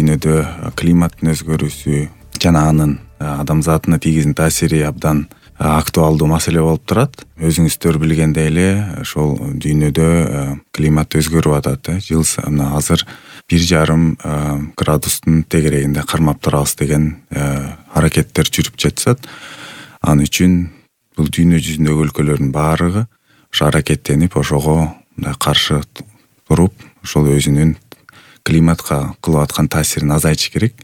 дүйнөдө климаттын өзгөрүүсү жана анын адамзатына тийгизген таасири абдан актуалдуу маселе болуп турат. Өзүңүздөр билгендей эле ошол дүйнөдө климат өзгөрүп атат. Жыл сайын азыр 1,5 градустун тегерегинде кармап турабыз деген аракеттер жүрүп жатышат. Ал үчүн бул дүйнө жүзүндөгү өлкөлөрдүн баардыгы ошо аракеттенип, ошого каршы туруп, ошол өзүнүн климатка кылып аткан таасирин азайтыш керек.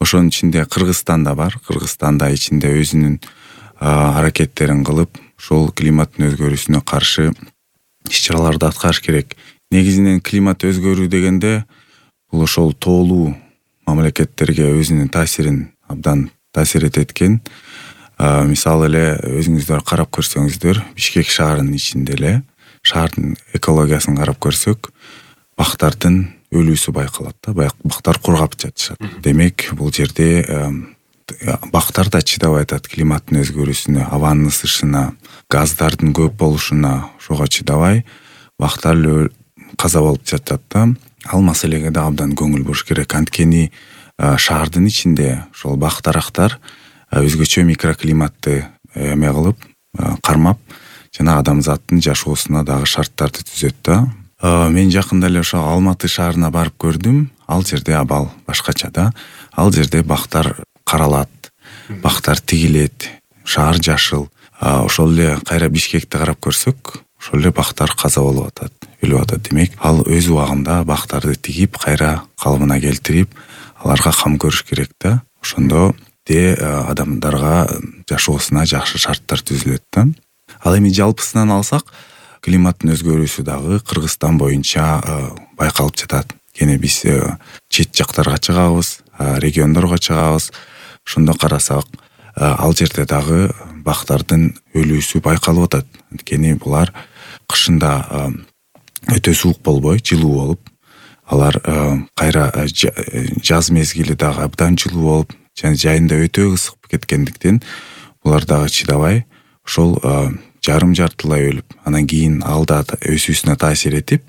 Ошонун ичинде Кыргызстан да бар. Кыргызстан да ичинде өзүнүн аракеттерин кылып, ошол климаттын өзгөрүүсүнө каршы иш-чараларды аткарыш керек. Негизинен климат өзгөрүү дегенде бул ошол тоолуу мамлекеттерге өзүнүн таасирин абдан таасир этет экен. Мисалы эле өзүңүздөр карап көрсөңүздөр, Бишкек шаарынын ичинде эле шаардын экологиясын карап көрсөк, бактардын өлүүсү байкалат да. Бактар кургап жатышат. Демек, бул жерде бактар да чыдабай атат климаттын өзгөрүүсүнө, абанын ысышына, газдардын көп болушуна, ошого чыдабай бактар каза болуп жатат да. Ал маселеге да абдан көңүл буруш керек. Анткени шаардын ичинде ошол бактарактар өзгөчө микроклиматты эме кылып, кармап, жана адамзаттын жашоосуна дагы шарттарды түзөт да. Мен жакында эле ошо Алматы шаарына барып көрдүм. Ал жерде абал башкача да. Ал жерде бактар каралат, бактар тигилет, шаар жашыл. Ошол эле кайра Бишкекти карап көрсөк, ошол эле бактар каза болуп атат, өлүп атат. Демек, ал өз убагында бактарды тигип, кайра калыбына келтирип, аларга кам көрүш керек да. Ошондо адамдарга жашоосуна жакшы шарттар түзүлөт да. Ал эми жалпысынан алсак, климаттын өзгөрүүсү дагы Кыргызстан боюнча байкалып жатат. Кene биз чет жактарга чыгабыз, региондорго чыгабыз. Ошондо карасак, ал жерде дагы бактардын өлүүсү байкалып атат. Анткени булар кышында өтө суук болбой, жылуу болуп, алар кайра жаз мезгили дагы абдан жылуу болуп, жана жайында өтө ысык кеткендиктен булар дагы чыдабай ошол жарым-жартылай өлүп, анан кийин ал да өсүүсүнө таасир этип,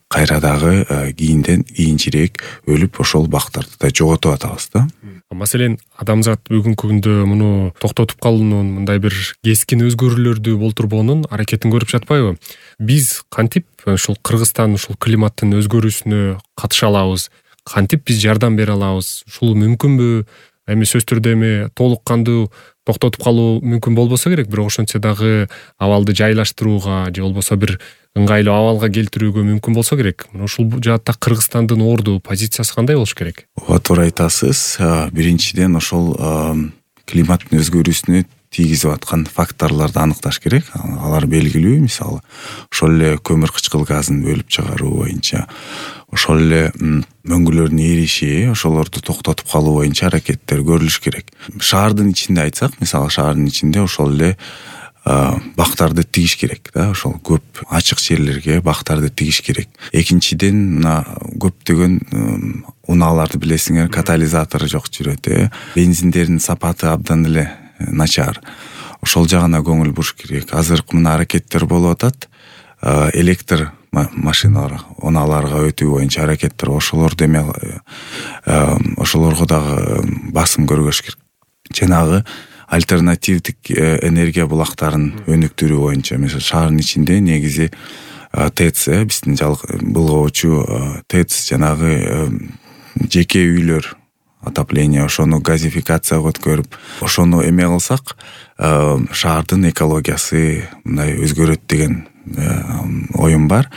кайра дагы кийинчерээк өлүп, ошол бактарды да жоготуп атабыз да. Маселен, адамзат бүгүнкү күндө муну токтотуп калуунун, мындай бир кескин өзгөрүүлөрдү болтурбоонун аракетин көрүп жатпайбы? Биз кантип ушул Кыргызстан ушул климаттын өзгөрүүсүнө катыша алабыз? Кантип биз жардам бере алабыз? Ушул мүмкүнбү? Эми сөзсүз түрдө толук кандуу токтотуп калуу мүмкүн болбосо керек, бирок ошончо дагы абалды жайлаштырууга же болбосо бир ыңгайлуу абалга келтирүүгө мүмкүн болсо керек. Ушул жаатта Кыргызстандын орду, позициясы кандай болуш керек? Ооба, туура айтасыз. Биринчиден ошол климаттын өзгөрүүсүнө тийгизип аткан факторлорду аныкташ керек. Алар белгилүү, мисалы, ошол эле көмүр кычкыл газын бөлүп чыгаруу боюнча, ошол эле мөңгүлөрдүн эриши, ошолорду токтотуп калуу боюнча аракеттер көрүлүш керек. Шаардын ичинде айтсак, мисалы, шаардын ичинде ошол эле бактарды тигиш керек да, ошол көп ачык жерлерге бактарды тигиш керек. Экинчиден, мына көптөгөн унааларды билесиңер, катализатору жок жүрөт, бензиндердин сапаты абдан эле начар. Ошол жагына көңүл буруш керек. Азыр мына аракеттер болуп атат. Электр машиналар, унааларга өтүү боюнча аракеттер, ошолорду ошолорго дагы басым көргөзүш керек. Жанагы альтернативдик энергия булактарын өнүктүрүү боюнча, мисалы, шаардын ичинде негизи ТЭЦ, биздин былгоочу ТЭЦ, жанагы жеке үйлөр, отопление, ошону газификацияга өткөрүп, ошону эме кылсак, шаардын экологиясы мындай өзгөрөт деген оюм бар.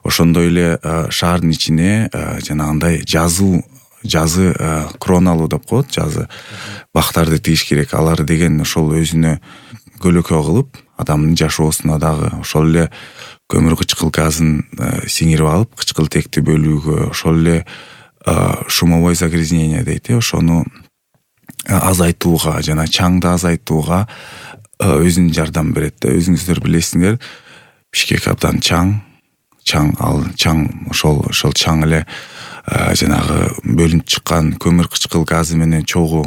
Ошондой эле шаардын ичине жанагындай жазы кроналуу деп коет, жазы бактарды тигиш керек. Алар деген ошол өзүнө көлөкө кылып, адамдын жашоосуна дагы ошол эле көмүр кычкыл газын сиңирип алып, кычкылтекти бөлүүгө, ошол эле шумовой загрязнение дейт, ошону азайтууга жана чаңды азайтууга өзүнүн жардам берет да. Өзүңүздөр билесиңер, Бишкек абдан чаң, ошол чаң эле жанагы бөлүнүп чыккан көмүр кычкыл газы менен чогуу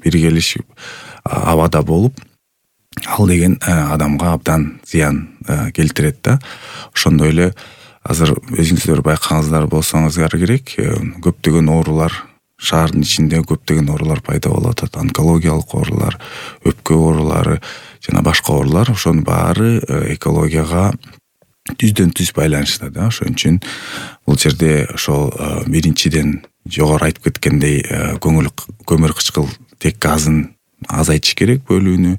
биргелишип абада болуп, ал деген адамга абдан зыян келтирет да. Ошондой эле азыр өзүңүздөр байкагаңыздар болсоңуздар керек, көптөгөн оорулар шаардын ичинде көптөгөн оорулар пайда болуп атат. Онкологиялык оорулар, өпкө оорулары жана башка оорулар. Ошонун баары экологияга түздөн түз байланыштуу да. Ошон үчүн бул жерде ошол биринчиден жогору айтып кеткендей көмүр кычкылтек газын азайтыш керек бөлүүнү,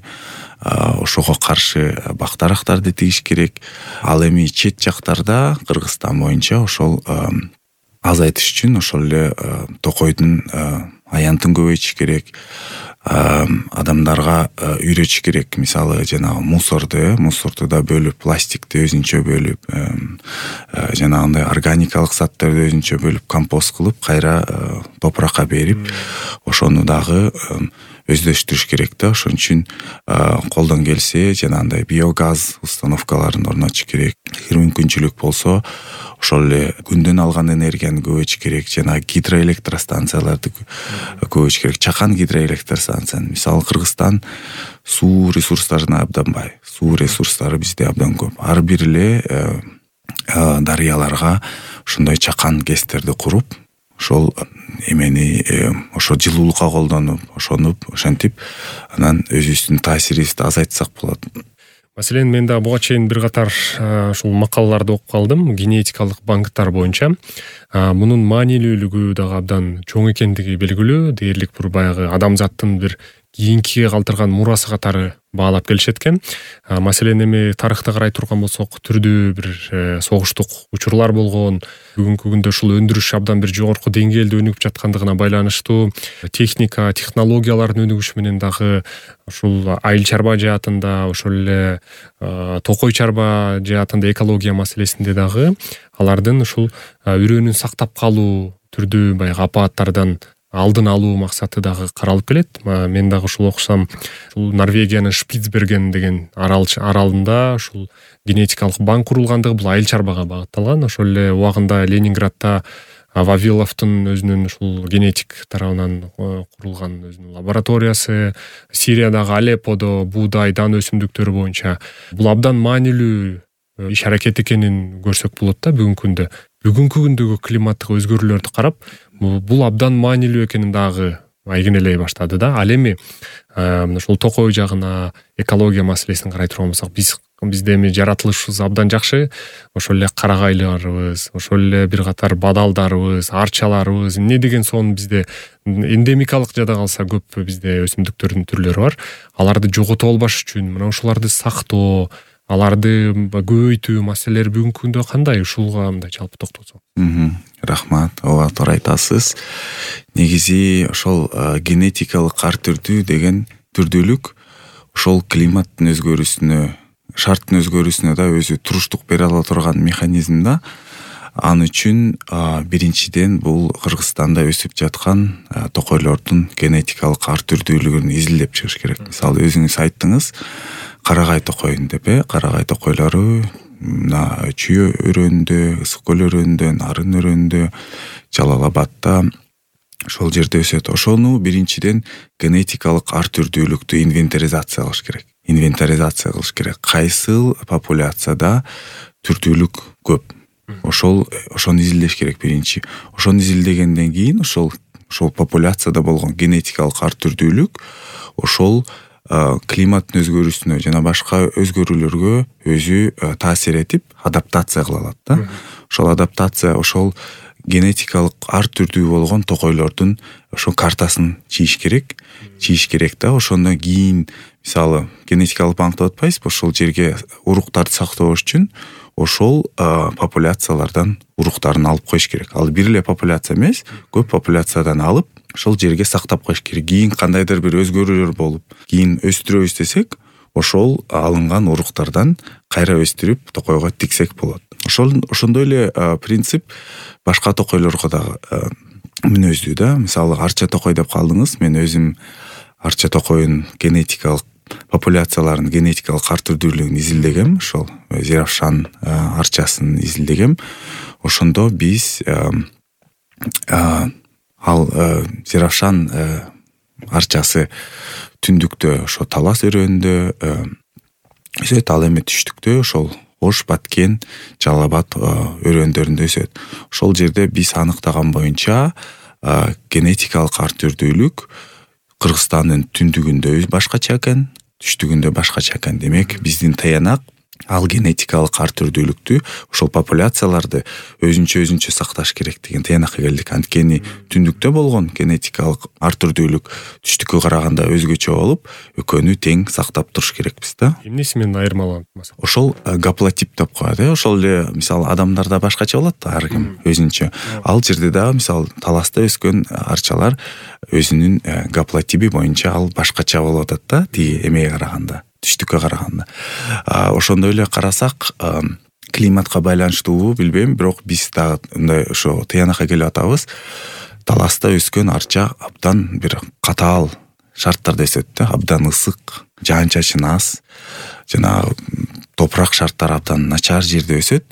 ошого каршы бактарактарды тигиш керек. Ал эми чет жактарда Кыргызстан боюнча ошол азайтыш үчүн ошол эле токойдун аянтын көбөйтүш керек. Адамдарга үйрөтүш керек. Мисалы жанагы мусорду да бөлүп, пластикти өзүнчө бөлүп, жанагындай органикалык заттарды өзүнчө бөлүп, компост кылып, кайра топуракка берип, ошону дагы өздөштүрүш керек да. Ошон үчүн колдон келсе жанагындай биогаз установкаларын орнотуш керек. Эгер мүмкүнчүлүк болсо ошол эле күндөн алган энергияны көбөйтүш керек. Жана гидроэлектростанцияларды көбөйтүш керек. Чакан гидроэлектростанцияны. Мисалы Кыргызстан суу ресурстарына абдан бай. Суу ресурстары бизде абдан көп. Ар бир эле дарыяларга ошондой чакан гэстерди куруп, ошол эмени ошо жылуулукка колдонуп, ошентип анан өзүбүздүн таасирибизди азайтсак болот. Маселен, мен да буга чейин бир катар ушул макалаларды окуп калдым генетикалык банктар боюнча. Мунун маанилүүлүгү дагы абдан чоң экендиги белгилүү. Дээрлик бир баягы адамзаттын бир кийинкиге калтырган мурасы катары баалап келишет экен. Маселен, эми тарыхты карай турган болсок, түрдүү бир согуштук учурлар болгон. Бүгүнкү күндө ушул өндүрүш абдан бир жогорку деңгээлде өнүгүп жаткандыгына байланыштуу техника, технологиялардын өнүгүшү менен дагы ушул айыл чарба жаатында, ошол эле токой чарба жаатында экология маселесинде дагы алардын ушул үрөөнүн сактап калуу, түрдүү баягы апааттардан алдын алуу максаты дагы каралып келет. Мен дагы ушул окусам, ушул Норвегиянын Шпицберген деген аралында ушул генетикалык банк курулгандыгы бул айыл чарбага багытталган. Ошол эле убагында Ленинградта Вавиловдун өзүнүн ушул генетик тарабынан курулган өзүнүн лабораториясы, Сириядагы Алепподо буудай, дан өсүмдүктөрү боюнча бул абдан маанилүү иш аракет экенин көрсөк болот да. Бүгүнкү күндөгү климаттык өзгөрүүлөрдү карап, бул абдан маанилүү экенин дагы айгинелей баштады да. Ал эми ушул токой жагына, экология маселесин карай турган болсок, бизде эми жаратылышыбыз абдан жакшы. Ошол эле карагайларыбыз, ошол эле бир катар бадалдарыбыз, арчаларыбыз, эмне деген сон бизде эндемикалык жада калса көп бизде өсүмдүктөрдүн түрлөрү бар. Аларды жогото албаш үчүн мына ушуларды сактоо, аларды көбөйтүү маселелери бүгүнкү күндө кандай? Ушулга мындай жалпы токтолсок. Рахмат, ооба туура айтасыз. Негизи ошол генетикалык ар түрдүү деген түрдүүлүк ошол климаттын өзгөрүүсүнө, шарттын өзгөрүүсүнө да өзү туруштук бере ала турган механизм да. Ал үчүн биринчиден бул Кыргызстанда өсүп жаткан токойлордун генетикалык ар түрдүүлүгүн изилдеп чыгыш керек. Мисалы өзүңүз айттыңыз, карагай токойун деп, карагай токойлору мына Чүй өрөөнүндө, Ысык көл өрөөнүндө, Нарын өрөөнүндө, Жалал Абадта ошол жерде өсөт. Ошону биринчиден генетикалык ар түрдүүлүктү инвентаризация кылыш керек. Кайсыл популяцияда түрдүүлүк көп? Ошону изилдеш керек биринчи. Ошону изилдегенден кийин ошол популяцияда болгон генетикалык ар түрдүүлүк ошол климаттын өзгөрүүсүнө жана башка өзгөрүүлөргө өзү таасир этип адаптация кыла алат да. Ошол адаптация ошол генетикалык ар түрдүү болгон токойлордун ошол картасын чийиш керек да. Ошондон кийин мисалы генетикалык банк деп атпайсызбы, ошол жерге уруктарды сактоош үчүн ошол популяциялардан уруктарын алып коюш керек. Ал бир эле популяция эмес, көп популяциядан алып ошол жерге сактап коюш керек. Кийин кандайдыр бир өзгөрүүлөр болуп, кийин өстүрөбүз десек, ошол алынган уруктардан кайра өстүрүп токойго тиксек болот. Ошондой эле принцип башка токойлорго дагы мүнөздүү да. Мисалы арча токой деп калдыңыз. Мен өзүм арча токойдун генетикалык популяцияларынын генетикалык ар түрдүүлүгүн изилдегем. Ошол Зеравшан арчасын изилдегем. Ошондо биз ал Зеравшан арчасы түндүктө ошо Талас өрөөнүндө өсөт. Ал эми түштүктө ошол Ош, Баткен, Жалал Абад өрөөндөрүндө өсөт. Ошол жерде биз аныктаган боюнча генетикалык ар түрдүүлүк Кыргызстандын түндүгүндө башкача экен, түштүгүндө башкача экен. Демек биздин таянак ал генетикалык ар түрдүүлүктү, ошол популяцияларды өзүнчө сакташ керек деген таянакка келдик. Анткени түндүктө болгон генетикалык ар түрдүүлүк түштүккө караганда өзгөчө болуп, экөөнү тең сактап туруш керекпиз да. Эмнеси менен айырмаланат масалан? Ошол гаплотип деп коет. Ошол эле мисалы адамдарда башкача болот да, ар ким өзүнчө. Ал жерде дагы мисалы таласта өскөн арчалар өзүнүн гаплотиби боюнча ал башкача болуп атат да, тиги эмеге караганда, түштүккө караганда. Ошондой эле карасак, климатка байланыштуубу билбейм, бирок биз дагы мындай ошо таянакка келип атабыз. Таласта өскөн арча абдан бир катаал шарттарда өсөт да, абдан ысык, жаан-чачын аз, жана топурак шарттары абдан начар жерде өсөт.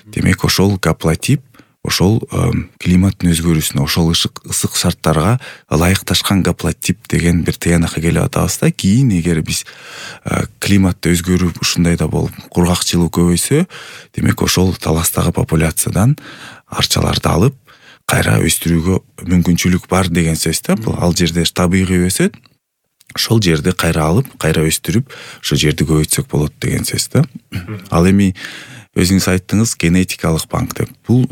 Демек ошол гаплотип ошол климаттын өзгөрүүсүнө, ошол ысык шарттарга ылайыкташкан гаплотип деген бир таянакка келип атабыз да. Кийин эгер биз климатты өзгөрүп ушундай да болуп кургакчылык көбөйсө, демек ошол таластагы популяциядан арчаларды алып кайра өстүрүүгө мүмкүнчүлүк бар деген сөз да. Бул ал жерде табигый өсөт, ошол жерди кайра алып, кайра өстүрүп, ошол жерди көбөйтсөк болот деген сөз да. Ал эми өзүңүз айттыңыз генетикалык банк деп. Бул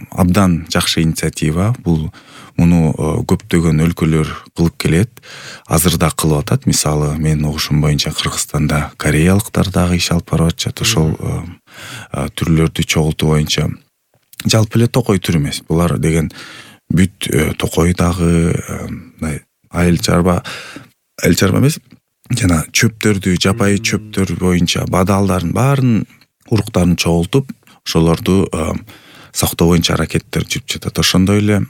абдан жакшы инициатива. Бул муну көптөгөн өлкөлөр кылып келет. Азыр да кылып атат. Мисалы, менин угушум боюнча Кыргызстанда кореялыктар дагы иш алып барып атышат. Ошол түрлөрдү чогултуу боюнча. Жалпы эле токой түр эмес. Булар деген бүт токой дагы айыл чарба эмес, жана чөптөрдү, жапайы чөптөр боюнча бадалдардын баарын уруктарын чогултуп, ошолорду сактоо боюнча аракеттер жүрүп жатат. Ошондой эле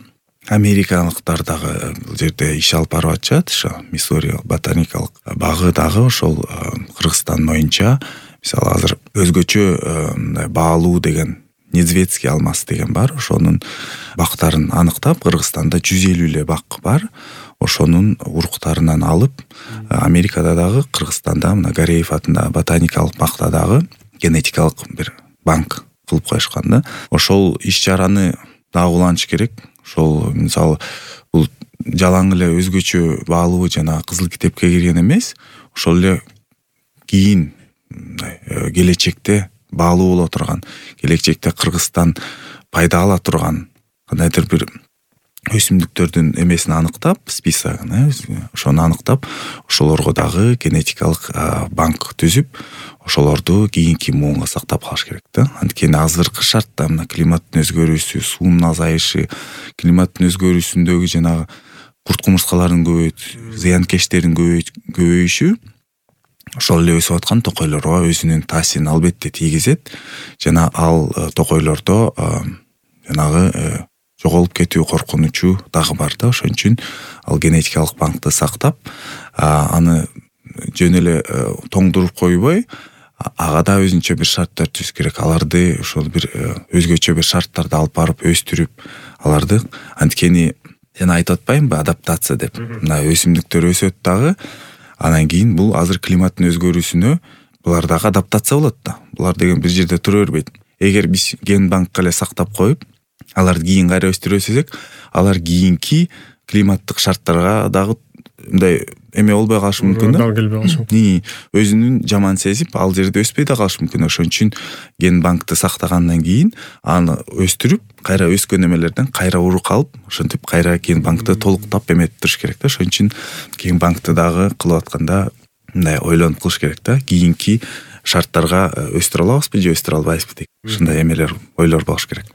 америкалыктар дагы бул жерде иш алып барып атышат. Ошо Миссури ботаникалык багы дагы ошол Кыргызстан боюнча, мисалы азыр өзгөчө баалуу деген Недзвецкий алмаз деген бар. Ошонун бактарын аныктап, Кыргызстанда 150 эле бак бар. Ошонун уруктарынан алып, Америкада дагы, Кыргызстанда мына Гареев атындагы ботаникалык бакта дагы генетикалык бир банк кылып коюшкан да. Ошол иш-чараны дагы улантыш керек. Ошол мисалы бул жалаң эле өзгөчө баалуу жана кызыл китепке кирген эмес, ошол эле кийин келечекте баалуу боло турган, келечекте Кыргызстан пайда ала турган кандайдыр бир өсүмдүктөрдүн эмесин аныктап, списогун, ошону аныктап, ошолорго дагы генетикалык банк түзүп, ошолорду кийинки муунга сактап калыш керек да. Анткени азыркы шартта мына климаттын өзгөрүүсү, суунун азайышы, климаттын өзгөрүүсүндөгү жанагы курт-кумурскалардын зыянкечтердин көбөйүшү ошол эле өсүп аткан токойлорго өзүнүн таасирин албетте тийгизет. Жана ал токойлордо жанагы жоголуп кетүү коркунучу дагы бар да. Ошон үчүн ал генетикалык банкты сактап, аны жөн эле тоңдуруп койбой, ага да өзүнчө бир шарттар түзүш керек. Аларды ошол бир өзгөчө бир шарттарды алып барып өстүрүп, аларды анткени жана айтып атпаймынбы, адаптация деп. Мына өсүмдүктөр өсөт дагы, анан кийин бул азыр климаттын өзгөрүүсүнө булар дагы адаптация болот да. Булар деген бир жерде тура бербейт. Эгер биз ген банкка эле сактап коюп, аларды кийин кайра өстүрө берсек, алар кийинки климаттык шарттарга дагы мындай эме болбой калышы мүмкүн да. Келбей калышы мүмкүн. Өзүнүн жаман сезип, ал жерде өспөй да калышы мүмкүн. Ошон үчүн ген банкты сактагандан кийин аны өстүрүп, кайра өскөн эмелерден кайра урук алып, ошентип кайра ген банкты толуктап эметип туруш керек да. Ошон үчүн ген банкты дагы кылып атканда мындай ойлонуп кылыш керек да. Кийинки шарттарга өстүрө алабызбы же өстүрө албайбызбы деген ушундай эмелер, ойлор болуш керек.